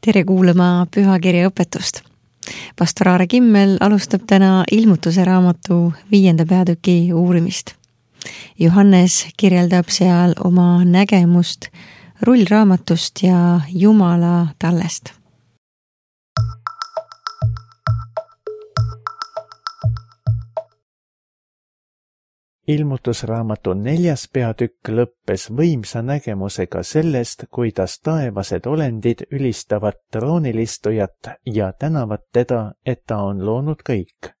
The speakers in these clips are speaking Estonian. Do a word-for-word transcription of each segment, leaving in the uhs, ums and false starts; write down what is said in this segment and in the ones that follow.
Tere kuulama pühakirja õpetust. Pastor Aare Kimmel alustab täna ilmutuse raamatu viienda peatüki uurimist. Johannes kirjeldab seal oma nägemust rullraamatust ja Jumala tallest. Ilmutusraamatu neljas peatükk lõppes võimsa nägemusega sellest, kuidas taevased olendid ülistavad troonilistujat ja tänavad teda, et ta on loonud kõik.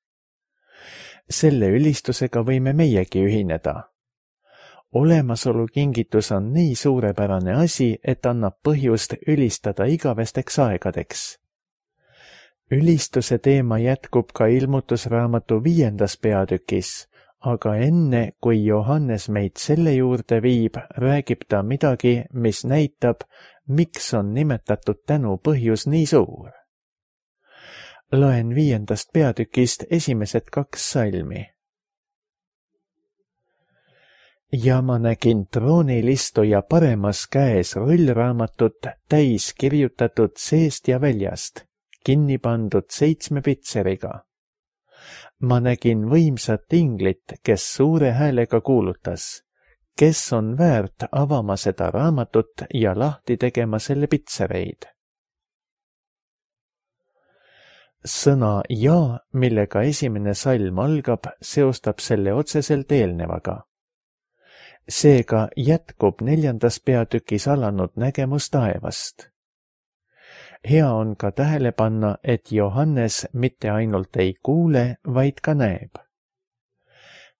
Selle ülistusega võime meiegi ühineda. Olemasolu kingitus on nii suurepärane asi, et annab põhjust ülistada igavesteks aegadeks. Ülistuse teema jätkub ka ilmutusraamatu viiendas peatükis, aga enne, kui Johannes meid selle juurde viib, räägib ta midagi, mis näitab, miks on nimetatud tänu põhjus nii suur. Loen viiendast peatükist esimesed kaks salmi. Ja ma nägin troonilistuja paremas käes rullraamatut täis kirjutatud seest ja väljast, kinni pandud seitsme pitseriga. Ma nägin võimsat inglit, kes suure häälega kuulutas, kes on väärt avama seda raamatut ja lahti tegema selle pitsereid. Sõna ja, millega esimene salm algab, seostab selle otseselt eelnevaga. Seega jätkub neljandas peatükis alanud nägemus taevast. Hea on ka tähele panna, et Johannes mitte ainult ei kuule, vaid ka näeb.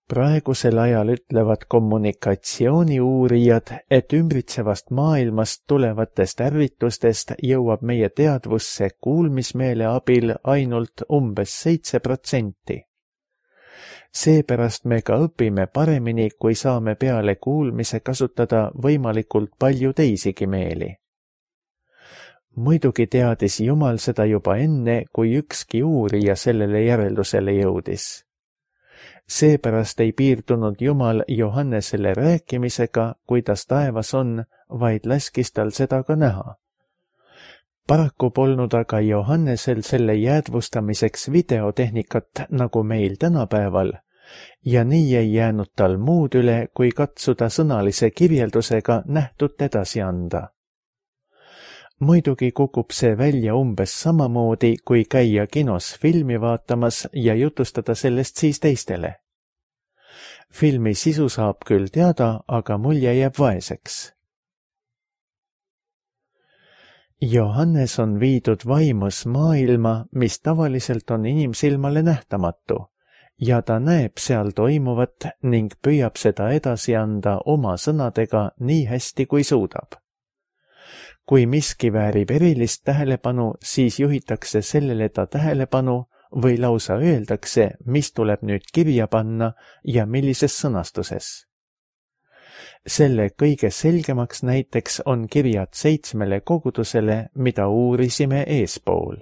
Praegusel ajal ütlevad kommunikatsiooniuurijad, et ümbritsevast maailmast tulevatest ärritustest jõuab meie teadvusse kuulmismeele abil ainult umbes seitse protsenti. Seepärast me ka õpime paremini, kui saame peale kuulmise kasutada võimalikult palju teisigi meeli. Muidugi teadis Jumal seda juba enne, kui ükski uurija sellele järeldusele jõudis. Seepärast ei piirdunud Jumal Johannesele rääkimisega, kuidas taevas on, vaid laskis tal seda ka näha. Paraku polnud aga Johannesel selle jäädvustamiseks videotehnikat nagu meil tänapäeval, ja nii ei jäänud tal muud üle, kui katsuda sõnalise kirjeldusega nähtut edasi anda. Muidugi kukub see välja umbes samamoodi, kui käia kinos filmi vaatamas ja jutustada sellest siis teistele. Filmi sisu saab küll teada, aga mulje jääb vaeseks. Johannes on viidud vaimus maailma, mis tavaliselt on inimsilmale nähtamatu, ja ta näeb seal toimuvat ning püüab seda edasi anda oma sõnadega nii hästi, kui suudab. Kui miski väärib erilist tähelepanu, siis juhitakse sellele ta tähelepanu või lausa öeldakse, mis tuleb nüüd kirja panna ja millises sõnastuses. Selle kõige selgemaks näiteks on kirjad seitsmele kogudusele, mida uurisime eespool.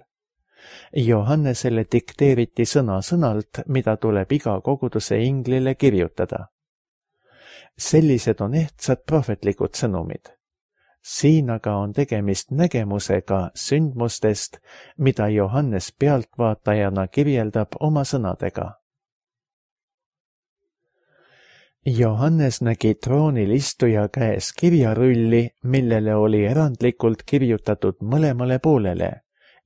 Johannesele dikteeriti sõna-sõnalt, mida tuleb iga koguduse inglile kirjutada. Sellised on ehtsad prohvetlikud sõnumid. Siin aga on tegemist nägemusega sündmustest, mida Johannes pealtvaatajana kirjeldab oma sõnadega. Johannes nägi troonilistuja käes kirjarulli, millele oli erandlikult kirjutatud mõlemale poolele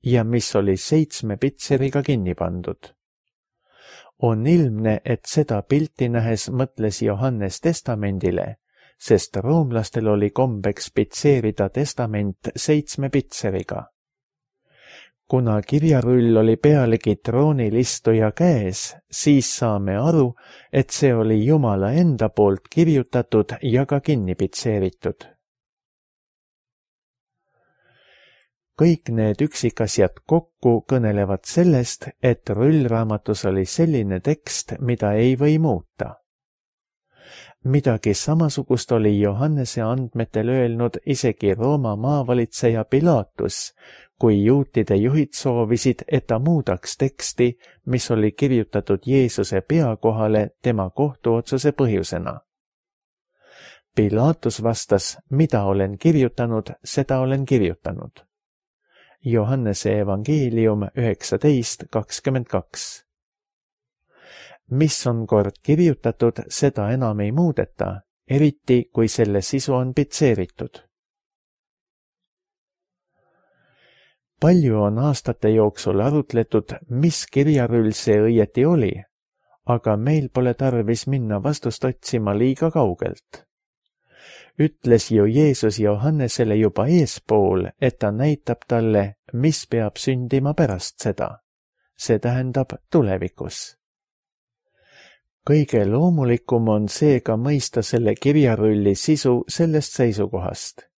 ja mis oli seitsme pitseriga kinni pandud. On ilmne, et seda pilti nähes mõtles Johannes testamendile, sest roomlastel oli kombeks pitseerida testament seitsme pitseriga. Kuna kirjarull oli pealegi troonilistuja käes, siis saame aru, et see oli Jumala enda poolt kirjutatud ja ka kinni pitseeritud. Kõik need üksikasjad kokku kõnelevad sellest, et rullraamatus oli selline tekst, mida ei või muuta. Midagi samasugust oli Johannese andmetel öelnud isegi Rooma maavalitseja Pilatus, kui juutide juhid soovisid, et ta muudaks teksti, mis oli kirjutatud Jeesuse pea kohale tema kohtuotsuse põhjusena. Pilatus vastas, mida olen kirjutanud, seda olen kirjutanud. Johannese evangeelium üheksateist kakskümmend kaks. mis on kord kirjutatud, seda enam ei muudeta, eriti kui selle sisu on pitseeritud. palju on aastate jooksul arutletud, mis kirjarull see õieti oli, aga meil pole tarvis minna vastust otsima liiga kaugelt. Ütles ju Jeesus Johannesele juba eespool, et ta näitab talle, mis peab sündima pärast seda. See tähendab tulevikus. kõige loomulikum on seega mõista selle kirjarulli sisu sellest seisukohast.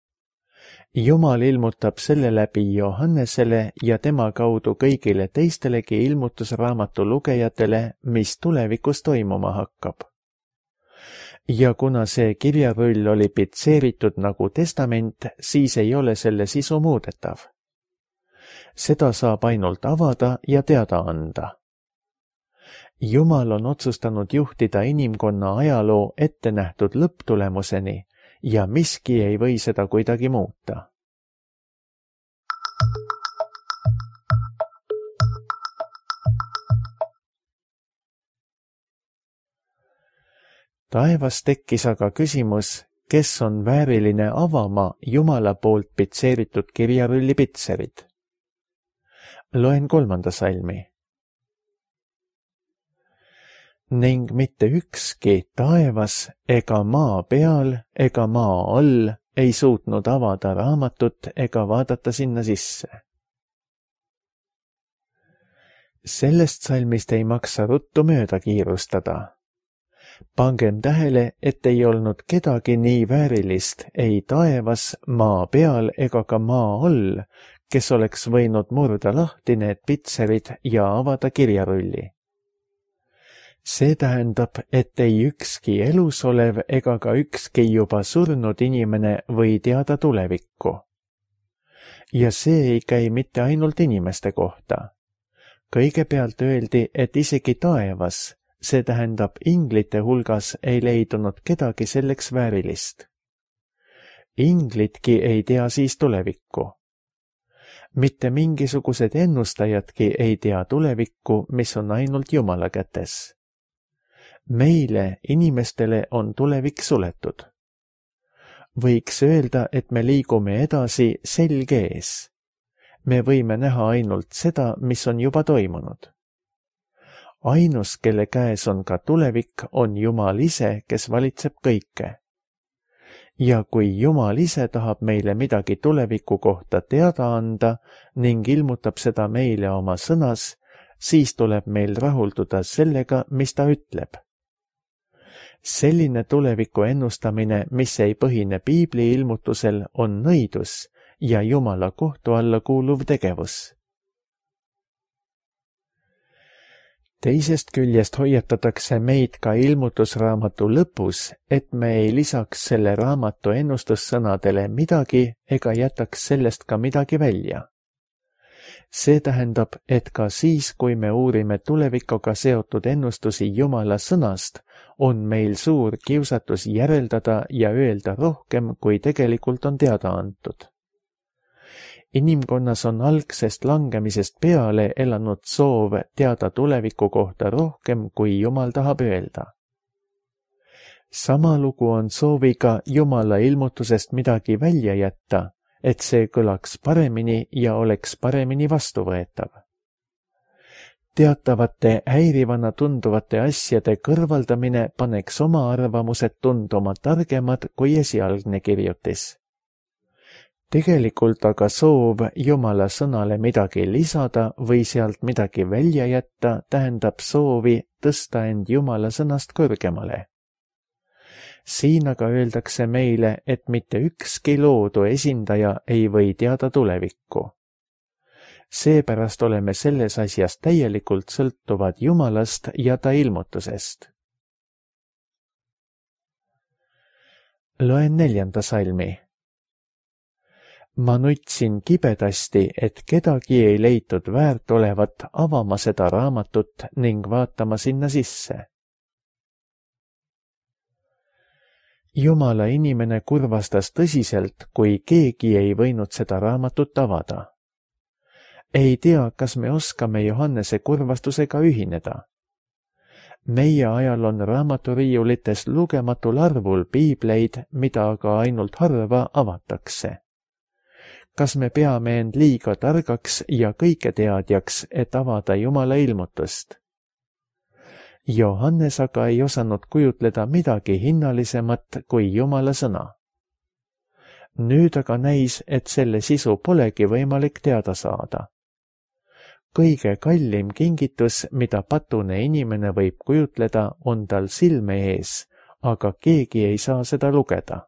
Jumal ilmutab selle läbi Johannesele ja tema kaudu kõigile teistelegi ilmutusraamatu lugejatele, mis tulevikus toimuma hakkab. Ja kuna see kirjarull oli pitseeritud nagu testament, siis ei ole selle sisu muudetav. Seda saab ainult avada ja teada anda. Jumal on otsustanud juhtida inimkonna ajaloo ette nähtud lõpptulemuseni ja miski ei või seda kuidagi muuta. Taevas tekkis aga küsimus, kes on vääriline avama Jumala poolt pitseeritud kirjarulli pitserid. Loen kolmanda salmi. Ning mitte ükski taevas ega maa peal ega maa all ei suutnud avada raamatut ega vaadata sinna sisse. Sellest salmist ei maksa ruttu mööda kiirustada. Pangem tähele, et ei olnud kedagi nii väärilist ei taevas, maa peal ega ka maa all, kes oleks võinud murda lahti need pitserid ja avada kirjarulli. See tähendab, et ei ükski elus olev ega ka ükski juba surnud inimene või teada tulevikku. Ja see ei käi mitte ainult inimeste kohta. Kõigepealt öeldi, et isegi taevas, see tähendab inglite hulgas ei leidunud kedagi selleks väärilist. Inglitki ei tea siis tulevikku. Mitte mingisugused ennustajadki ei tea tulevikku, mis on ainult Jumala kätes. Meile, inimestele, on tulevik suletud. Võiks öelda, et me liigume edasi selg ees. Me võime näha ainult seda, mis on juba toimunud. Ainus, kelle käes on ka tulevik, on Jumal ise, kes valitseb kõike. Ja kui Jumal ise tahab meile midagi tuleviku kohta teada anda ning ilmutab seda meile oma sõnas, siis tuleb meil rahulduda sellega, mis ta ütleb. Selline tuleviku ennustamine, mis ei põhine Piibli ilmutusel, on nõidus ja Jumala kohtu alla kuuluv tegevus. Teisest küljest hoiatatakse meid ka ilmutusraamatu lõpus, et me ei lisaks selle raamatu ennustussõnadele midagi ega jätaks sellest ka midagi välja. See tähendab, et ka siis, kui me uurime tulevikuga seotud ennustusi Jumala sõnast, on meil suur kiusatus järeldada ja öelda rohkem, kui tegelikult on teada antud. Inimkonnas on algsest langemisest peale elanud soov teada tuleviku kohta rohkem, kui Jumal tahab öelda. Sama lugu on sooviga Jumala ilmutusest midagi välja jätta, et see kõlaks paremini ja oleks paremini vastuvõetav. Teatavate häirivana tunduvate asjade kõrvaldamine paneks oma arvamused tunduma targemad kui esialgne kirjutis. Tegelikult aga soov Jumala sõnale midagi lisada või sealt midagi välja jätta tähendab soovi tõsta end Jumala sõnast kõrgemale. Siin aga öeldakse meile, et mitte ükski loodu esindaja ei või teada tulevikku. Seepärast oleme selles asjas täielikult sõltuvad Jumalast ja ta ilmutusest. Loen neljanda salmi. Ma nutsin kibedasti, et kedagi ei leitud väärt olevat avama seda raamatut ning vaatama sinna sisse. Jumala inimene kurvastas tõsiselt, kui keegi ei võinud seda raamatut avada. ei tea, kas me oskame Johannese kurvastusega ühineda. Meie ajal on raamaturiiulites lugematul arvul piibleid, mida aga ainult harva avatakse. Kas me peame end liiga targaks ja kõiketeadjaks, et avada Jumala ilmutust? Johannes aga ei osanud kujutleda midagi hinnalisemat kui Jumala sõna. Nüüd aga näis, et selle sisu polegi võimalik teada saada. Kõige kallim kingitus, mida patune inimene võib kujutleda, on tal silme ees, aga keegi ei saa seda lugeda.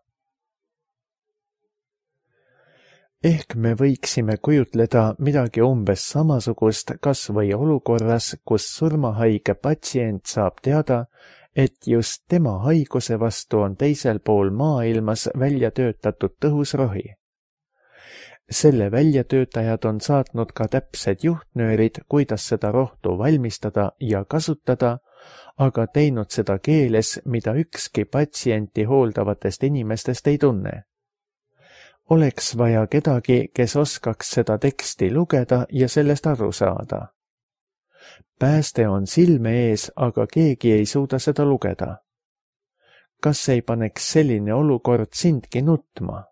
Ehk me võiksime kujutleda midagi umbes samasugust kas või olukorras, kus surmahaige patsient saab teada, et just tema haiguse vastu on teisel pool maailmas välja töötatud tõhus rohi. Selle väljatöötajad on saatnud ka täpsed juhtnöörid, kuidas seda rohtu valmistada ja kasutada, aga teinud seda keeles, mida ükski patsienti hooldavatest inimestest ei tunne. Oleks vaja kedagi, kes oskaks seda teksti lugeda ja sellest aru saada. Pääste on silme ees, aga keegi ei suuda seda lugeda. Kas ei paneks selline olukord sindki nutma?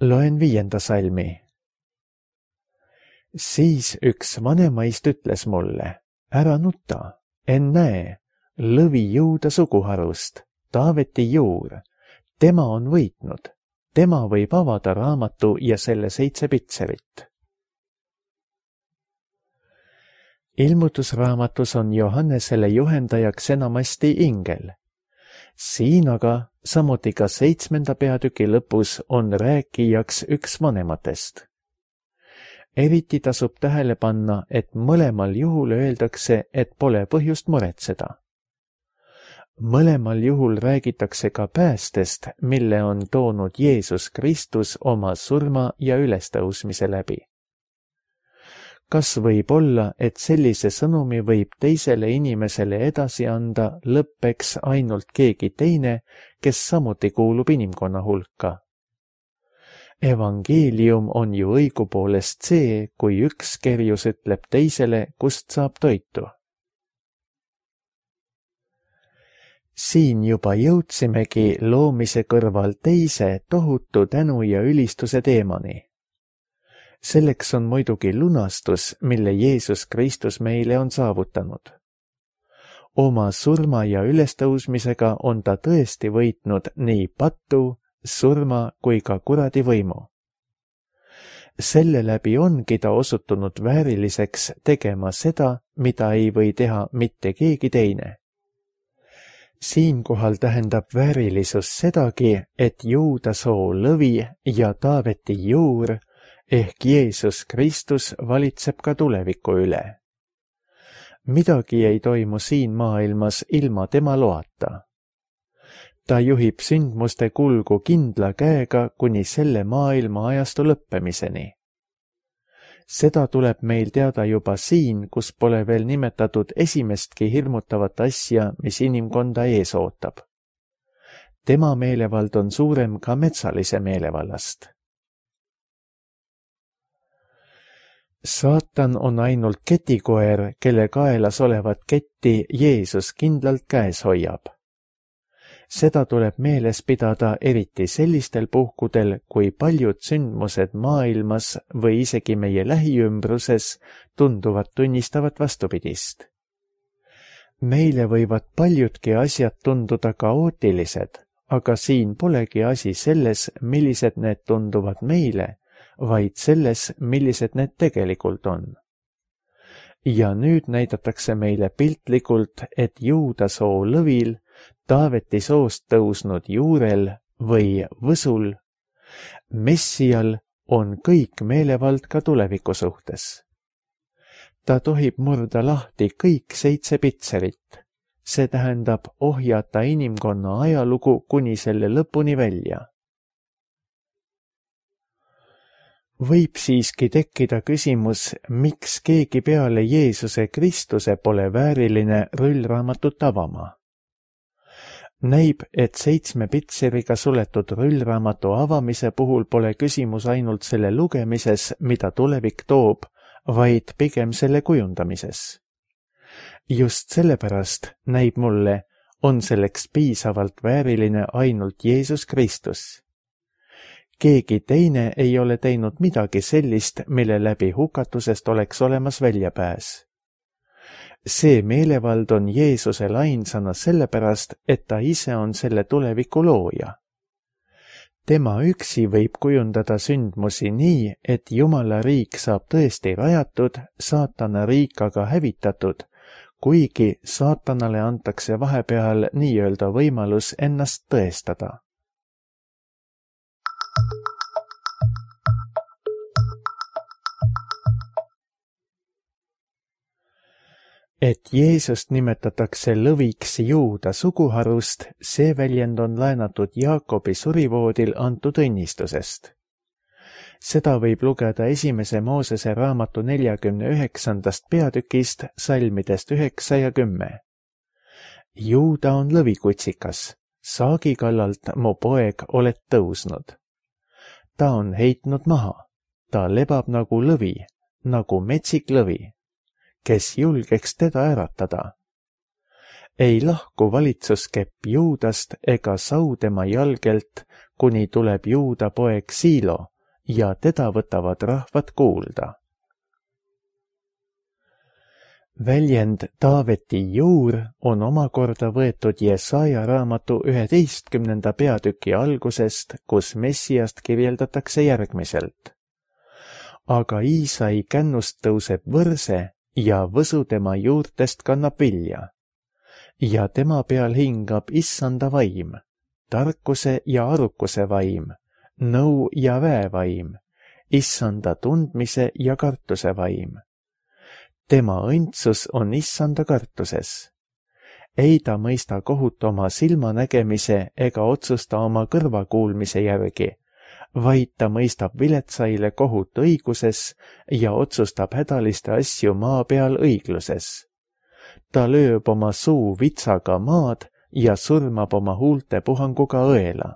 Loen viienda salmi. Siis üks vanemaist ütles mulle, ära nuta, ennäe, lõvi Juuda suguharust, Taaveti juur, tema on võitnud, tema võib avada raamatu ja selle seitse pitserit. Ilmutusraamatus on Johannesele juhendajaks enamasti ingel. Siin aga, samuti ka seitsmenda peatüki lõpus, on rääkijaks üks vanematest. Eriti tasub tähele panna, et mõlemal juhul öeldakse, et pole põhjust muretseda. Mõlemal juhul räägitakse ka päästest, mille on toonud Jeesus Kristus oma surma ja ülestõusmise läbi. Kas võib olla, et sellise sõnumi võib teisele inimesele edasi anda lõppeks ainult keegi teine, kes samuti kuulub inimkonna hulka? Evangeelium on ju õigupoolest see, kui üks kerjus ütleb teisele, kust saab toitu. Siin juba jõudsimegi loomise kõrval teise tohutu tänu ja ülistuse teemani. Selleks on muidugi lunastus, mille Jeesus Kristus meile on saavutanud. Oma surma ja ülestõusmisega on ta tõesti võitnud nii pattu, surma kui ka kuradi võimu. Selle läbi ongi ta osutunud vääriliseks tegema seda, mida ei või teha mitte keegi teine. Siinkohal tähendab väärilisus sedagi, et Juuda soo lõvi ja Taaveti juur ehk Jeesus Kristus valitseb ka tuleviku üle. Midagi ei toimu siin maailmas ilma tema loata. Ta juhib sündmuste kulgu kindla käega kuni selle maailma ajastu lõppemiseni. Seda tuleb meil teada juba siin, kus pole veel nimetatud esimestki hirmutavat asja, mis inimkonda ees ootab. Tema meelevald on suurem ka metsalise meelevallast. Saatan on ainult ketikoer, kelle kaelas olevat ketti Jeesus kindlalt käes hoiab. Seda tuleb meeles pidada eriti sellistel puhkudel, kui paljud sündmused maailmas või isegi meie lähiümbruses tunduvad tunnistavat vastupidist. Meile võivad paljudki asjad tunduda kaootilised, aga siin polegi asi selles, millised need tunduvad meile, vaid selles, millised need tegelikult on. Ja nüüd näidatakse meile piltlikult, et Juuda soo lõvil, Taaveti soost tõusnud juurel või võsul, Messial on kõik meelevald ka tuleviku suhtes. Ta tohib murda lahti kõik seitse pitserit, see tähendab ohjata inimkonna ajalugu kuni selle lõpuni välja. Võib siiski tekkida küsimus, miks keegi peale Jeesuse Kristuse pole vääriline rullraamatut avama. näib, et seitsme pitseriga suletud rullraamatu avamise puhul pole küsimus ainult selle lugemises, mida tulevik toob, vaid pigem selle kujundamises. Just sellepärast näib mulle, on selleks piisavalt vääriline ainult Jeesus Kristus. Keegi teine ei ole teinud midagi sellist, mille läbi hukatusest oleks olemas väljapääs. See meelevald on Jeesusel ainsana sellepärast, et ta ise on selle tuleviku looja. Tema üksi võib kujundada sündmusi nii, et Jumala riik saab tõesti rajatud, saatana riik aga hävitatud, kuigi saatanale antakse vahepeal nii-öelda võimalus ennast tõestada. Et Jeesust nimetatakse lõviks Juuda suguharust, see väljend on laenatud Jaakobi surivoodil antud õnnistusest. Seda võib lugeda esimese Moosese raamatu neljakümne üheksandast peatükist, salmidest üheksa ja kümme. Juuda on lõvikutsikas, saagi kallalt mu poeg oled tõusnud. Ta on heitnud maha, ta lebab nagu lõvi, nagu metsik lõvi, kes julgeks teda äratada. Ei lahku valitsuskepp Juudast ega sau tema jalgelt, kuni tuleb Juuda poeg Siilo ja teda võtavad rahvad kuulda. Väljend Taaveti juur on omakorda võetud Jesaja raamatu üheteistkümnenda peatüki algusest, kus Messiast kirjeldatakse järgmiselt. Aga Iisai kännust tõuseb võrse ja võsu tema juurtest kannab vilja. Ja tema peal hingab issanda vaim, tarkuse ja arukuse vaim, nõu ja väevaim, issanda tundmise ja kartuse vaim. Tema õndsus on issanda kartuses. Ei ta mõista kohut oma silmanägemise ega otsusta oma kõrvakuulmise järgi, vaid ta mõistab viletsaile kohut õiguses ja otsustab hädaliste asju maa peal õigluses. Ta lööb oma suu vitsaga maad ja surmab oma huulte puhanguga õela.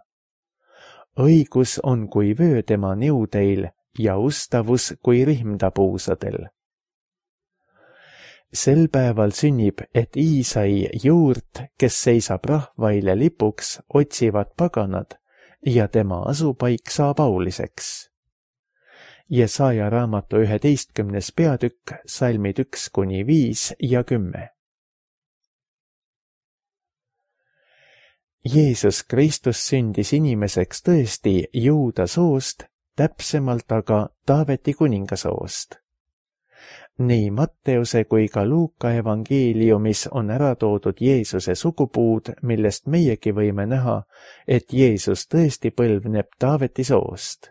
Õigus on kui vöö tema niudeil ja ustavus kui rihmda puusadel. Sel päeval sünnib, et Iisai juurt, kes seisab rahvaile lipuks, otsivad paganad, ja tema asupaik saab auliseks. Jesaja raamatu üheteistkümnes peatükk, salmid üks kuni viis ja kümme. Jeesus Kristus sündis inimeseks tõesti Juuda soost, täpsemalt aga Taaveti kuningasoost. Nii Matteuse kui ka Luuka evangeeliumis on ära toodud Jeesuse sugupuud, millest meiegi võime näha, et Jeesus tõesti põlvneb Taaveti soost.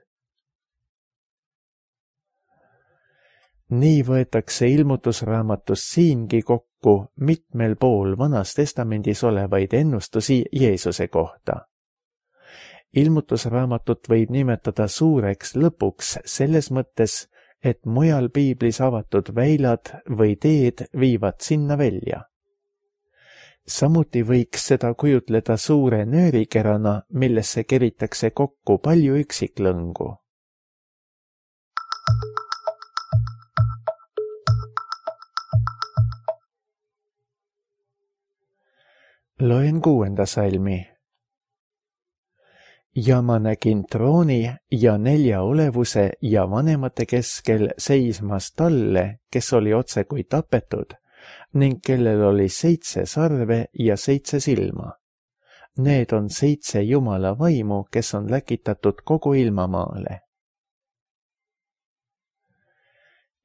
Nii võetakse ilmutusraamatus siingi kokku mitmel pool Vanas Testamendis olevaid ennustusi Jeesuse kohta. Ilmutusraamatut võib nimetada suureks lõpuks selles mõttes, et mujal piiblis avatud väilad või teed viivad sinna välja. Samuti võiks seda kujutleda suure nöörikerana, millesse keritakse kokku palju üksiklõngu. Loen kuuenda salmi. Ja ma nägin trooni ja nelja olevuse ja vanemate keskel seismas talle, kes oli otse kui tapetud, ning kellel oli seitse sarve ja seitse silma. Need on seitse Jumala vaimu, kes on läkitatud kogu ilmamaale.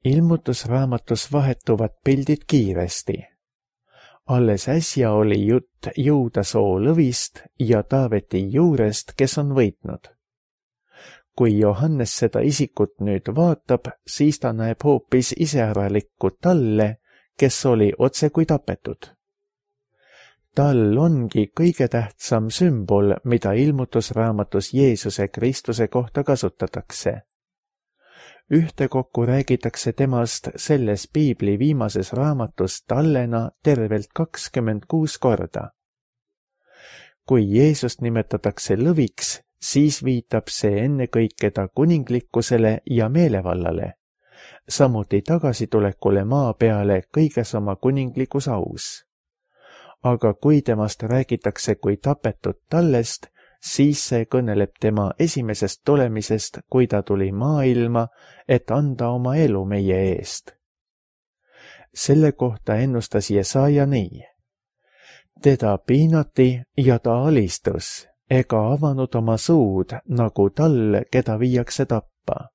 Ilmutusraamatus vahetuvad pildid kiiresti. Alles äsja oli jutt Juuda soo lõvist ja Taaveti juurest, kes on võitnud. Kui Johannes seda isikut nüüd vaatab, siis ta näeb hoopis iseäralikku talle, kes oli otse kui tapetud. Tal ongi kõige tähtsam sümbol, mida ilmutusraamatus Jeesuse Kristuse kohta kasutatakse. Ühtekokku räägitakse temast selles piibli viimases raamatus tallena tervelt kakskümmend kuus korda. kui Jeesust nimetatakse lõviks, siis viitab see ennekõike ta kuninglikkusele ja meelevallale, samuti tagasitulekule maa peale kõiges oma kuninglikus aus. Aga kui temast räägitakse kui tapetud tallest, siis see kõneleb tema esimesest tulemisest, kui ta tuli maailma, et anda oma elu meie eest. Selle kohta ennustas Jesaja nii. Teda piinati ja ta alistus, ega avanud oma suud, nagu tall, keda viiakse tappa.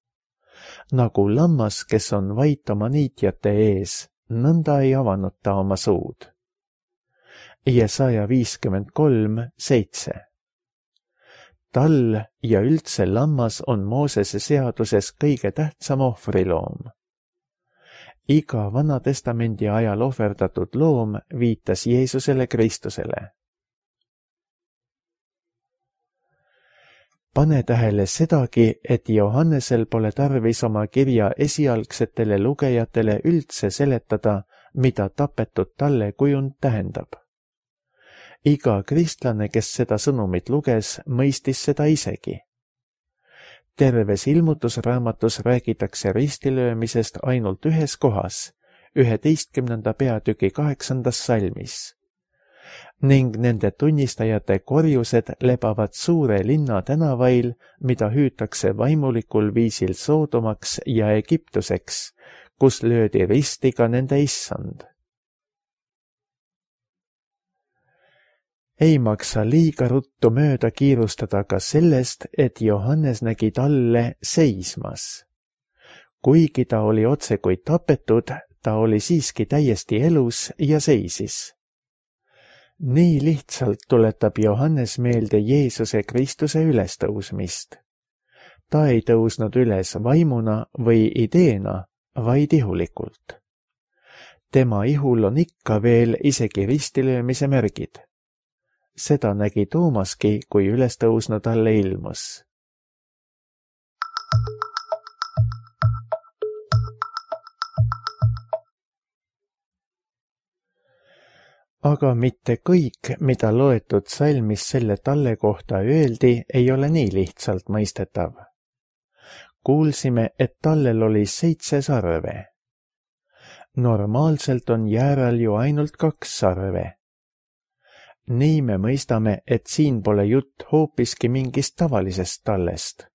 Nagu lammas, kes on vait oma niitjate ees, nõnda ei avanud ta oma suud. Jesaja viiskümmend kolm, seitse. Tall ja üldse lammas on Moosese seaduses kõige tähtsam ohvriloom. Iga Vana Testamendi ajal ohverdatud loom viitas Jeesusele Kristusele. Pane tähele sedagi, et Johannesel pole tarvis oma kirja esialgsetele lugejatele üldse seletada, mida tapetud talle kujund tähendab. Iga kristlane, kes seda sõnumit luges, mõistis seda isegi. Terves ilmutusraamatus räägitakse ristilöömisest ainult ühes kohas, üheteistkümnenda peatüki kaheksandas salmis. Ning nende tunnistajate korjused lebavad suure linna tänavail, mida hüütakse vaimulikul viisil Soodomaks ja Egiptuseks, kus löödi risti ka nende issand. Ei maksa liiga ruttu mööda kiirustada ka sellest, et Johannes nägi talle seismas. Kuigi ta oli otsekui tapetud, ta oli siiski täiesti elus ja seisis. Nii lihtsalt tuletab Johannes meelde Jeesuse Kristuse ülestõusmist. Ta ei tõusnud üles vaimuna või ideena, vaid ihulikult. Tema ihul on ikka veel isegi ristilöömise märgid. Seda nägi Toomaski, kui ülestõusnu talle ilmus. Aga mitte kõik, mida loetud salmis selle talle kohta öeldi, ei ole nii lihtsalt mõistetav. Kuulsime, et tallel oli seitse sarve. Normaalselt on jääral ju ainult kaks sarve. Nii me mõistame, et siin pole jutt hoopiski mingist tavalisest tallest.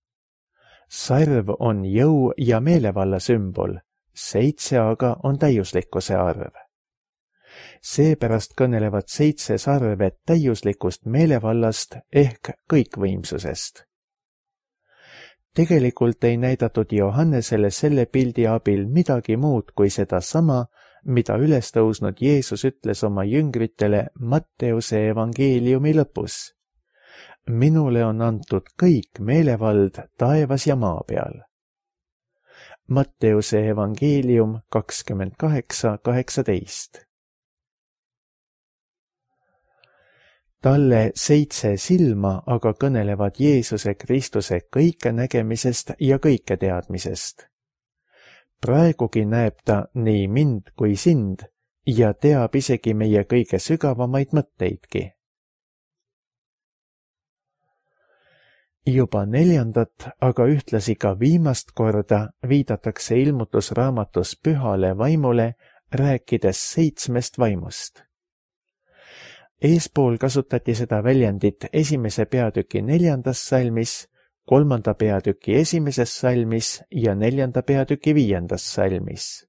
Sarv on jõu ja meelevalla sümbol, seitse aga on täiuslikkuse arv. Seepärast kõnelevad seitse sarve täiuslikust meelevallast ehk kõikvõimsusest. Tegelikult ei näidatud Johannesele selle pildi abil midagi muud kui seda sama, mida ülestõusnud Jeesus ütles oma jüngritele Matteuse evangeeliumi lõpus. Minule on antud kõik meelevald taevas ja maa peal. Matteuse evangeelium kakskümmend kaheksa, kaheksateist. Talle seitse silma aga kõnelevad Jeesuse Kristuse kõikenägemisest ja kõiketeadmisest. Praegugi näeb ta nii mind kui sind ja teab isegi meie kõige sügavamaid mõtteidki. Juba neljandat, aga ühtlasi ka viimast korda viidatakse ilmutusraamatus pühale vaimule, rääkides seitsmest vaimust. Eespool kasutati seda väljendit esimese peatüki neljandas salmis, kolmanda peatüki esimeses salmis ja neljanda peatüki viiendas salmis.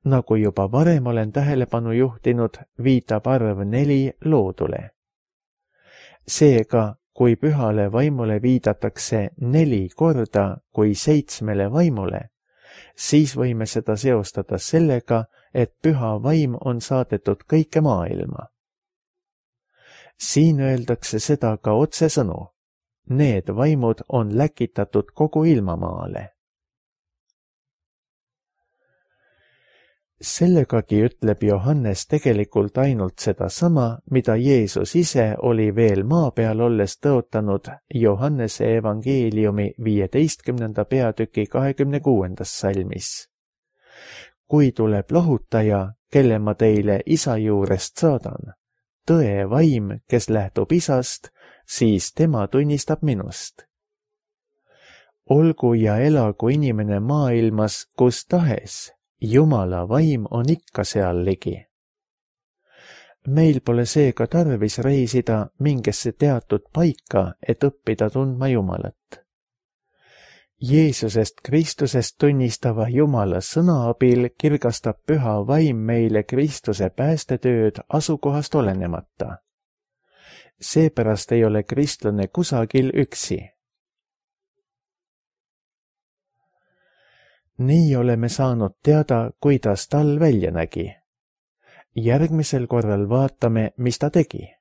Nagu juba varem olen tähelepanu juhtinud, viitab arv neli loodule. Seega, kui pühale vaimule viidatakse neli korda kui seitsmele vaimule, siis võime seda seostada sellega, et püha vaim on saadetud kõike maailma. Siin öeldakse seda ka otsesõnu. Need vaimud on läkitatud kogu ilmamaale. Sellegagi ütleb Johannes tegelikult ainult seda sama, mida Jeesus ise oli veel maa peal olles tõotanud Johannese evangeeliumi viieteistkümnenda peatüki kahekümne kuuendas salmis. Kui tuleb lohutaja, kelle ma teile isa juurest saadan, tõe vaim, kes lähtub Isast, siis tema tunnistab minust. Olgu ja elagu inimene maailmas kus tahes, Jumala vaim on ikka seal ligi. Meil pole seega tarvis reisida mingisse teatud paika, et õppida tundma Jumalat. Jeesusest Kristusest tunnistava Jumala sõna abil kirgastab püha vaim meile Kristuse päästetööd asukohast olenemata. Seepärast ei ole kristlane kusagil üksi. Nii oleme saanud teada, kuidas tal välja nägi. Järgmisel korral vaatame, mis ta tegi.